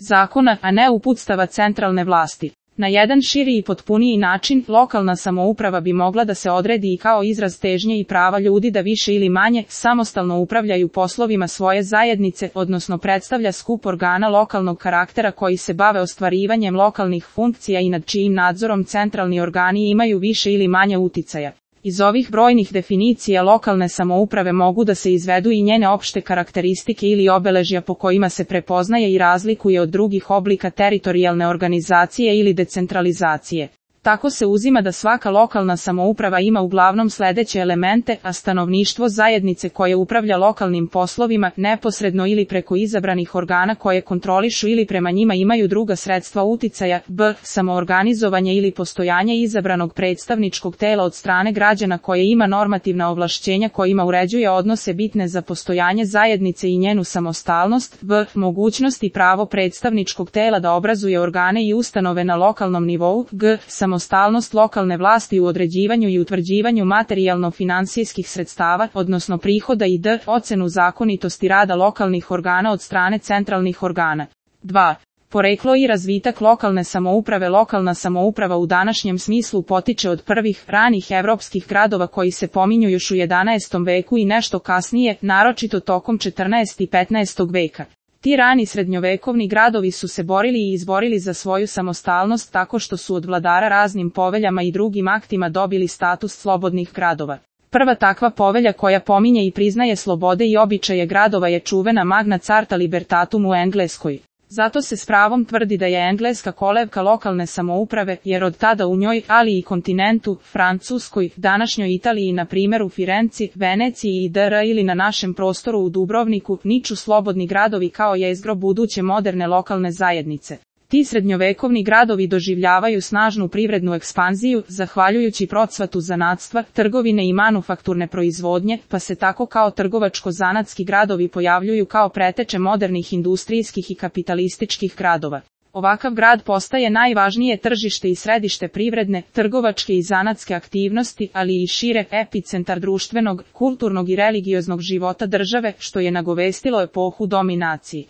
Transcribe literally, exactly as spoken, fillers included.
zakona, a ne uputstava centralne vlasti. Na jedan širi i potpuniji način, lokalna samouprava bi mogla da se odredi i kao izraz težnje i prava ljudi da više ili manje samostalno upravljaju poslovima svoje zajednice, odnosno predstavlja skup organa lokalnog karaktera koji se bave ostvarivanjem lokalnih funkcija i nad čijim nadzorom centralni organi imaju više ili manje uticaja. Iz ovih brojnih definicija lokalne samouprave mogu da se izvedu i njene opšte karakteristike ili obeležja po kojima se prepoznaje i razlikuje od drugih oblika teritorijalne organizacije ili decentralizacije. Tako se uzima da svaka lokalna samouprava ima uglavnom sledeće elemente, a stanovništvo zajednice koje upravlja lokalnim poslovima, neposredno ili preko izabranih organa koje kontrolišu ili prema njima imaju druga sredstva uticaja, b. samoorganizovanje ili postojanje izabranog predstavničkog tela od strane građana koje ima normativna ovlašćenja kojima uređuje odnose bitne za postojanje zajednice i njenu samostalnost, v. mogućnost i pravo predstavničkog tela da obrazuje organe i ustanove na lokalnom nivou, g. samostalnost lokalne vlasti u određivanju i utvrđivanju materijalno-finansijskih sredstava, odnosno prihoda i d. ocenu zakonitosti rada lokalnih organa od strane centralnih organa. dva. Poreklo i razvitak lokalne samouprave. Lokalna samouprava u današnjem smislu potiče od prvih, ranih evropskih gradova koji se pominju još u jedanaestom veku i nešto kasnije, naročito tokom četrnaestog i petnaestog veka. Ti rani srednjovekovni gradovi su se borili i izborili za svoju samostalnost tako što su od vladara raznim poveljama i drugim aktima dobili status slobodnih gradova. Prva takva povelja koja pominje i priznaje slobode i običaje gradova je čuvena Magna Carta Libertatum u Engleskoj. Zato se s pravom tvrdi da je Engleska kolevka lokalne samouprave, jer od tada u njoj, ali i kontinentu, Francuskoj, današnjoj Italiji na primjer u Firenci, Veneciji i dr. ili na našem prostoru u Dubrovniku, niču slobodni gradovi kao jezgro buduće moderne lokalne zajednice. Ti srednjovekovni gradovi doživljavaju snažnu privrednu ekspanziju, zahvaljujući procvatu zanatstva, trgovine i manufakturne proizvodnje, pa se tako kao trgovačko-zanatski gradovi pojavljuju kao preteče modernih industrijskih i kapitalističkih gradova. Ovakav grad postaje najvažnije tržište i središte privredne, trgovačke i zanatske aktivnosti, ali i šire, epicentar društvenog, kulturnog i religioznog života države, što je nagovestilo epohu dominacije.